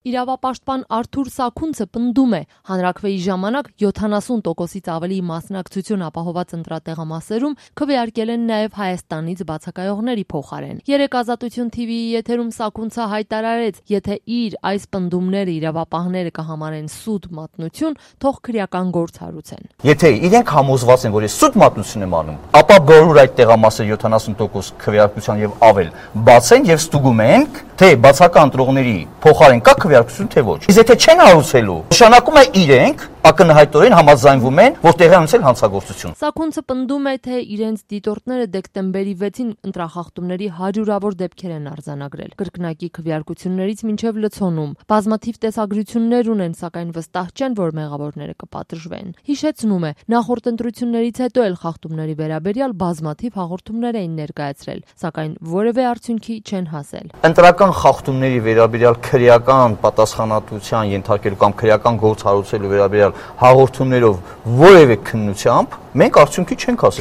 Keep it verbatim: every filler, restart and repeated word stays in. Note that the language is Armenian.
Իրավապաշտպան Արթուր Սաքունցը պնդում է, հանրաքվեի ժամանակ յոթանասուն տոկոսից ավելի մասնակցություն ապահոված ընտրատեղամասերում քվեարկել են նաև Հայաստանից բացակայողների փոխարեն։ Երեկ Ազատություն թիվիի եթերում Սաքունցը հայտարարեց, եթե իր այս պնդումները իրավապահները կհամարեն սուտ մատնություն, թող քրեական գործ հարուցեն։ Եթե իրենք համոզված են, որ ես սուտ մատնություն եմ անում, ապա բոլոր այդ տեղամասերը յոթանասուն տոկոս քվեարկության եւ ավել բացեն եւ ստուգում ենք, թե բացական ընտրողների փոխարեն կա քվեարկություն թե ոչ։ Իսկ եթե չեն հարուցելու, նշանակում է իրենք ակնհայտորեն համաձայնվում են, որ տեղի ունեցել հանցագործություն։ Սաքունցը պնդում է, թե իրենց դիտորդները դեկտեմբերի վեցին ընտրախախտումների հարյուրավոր դեպքեր են արձանագրել, կրկնակի քվեարկություններից մինչև լցոնում։ Բազմաթիվ տեսագրություններ ունեն, սակայն վստահ չեն, որ մեղավորները կպատժվեն։ Հիշեցնում է, նախորդ ընտրություններից հետո էլ խախտումների վերաբերյալ բազմաթիվ հաղորդումներ էին ներկայացրել, սակայն որևէ արդյունքի չեն հասել։ Ընտրական խախտումների վերաբերյալ քրեական պատասխանատվության ենթարկելու կամ քրեական գործ հարուցելու վերաբերյալ հաղորդումներով որևէ քննությամբ մենք արդյունքի չենք հասել։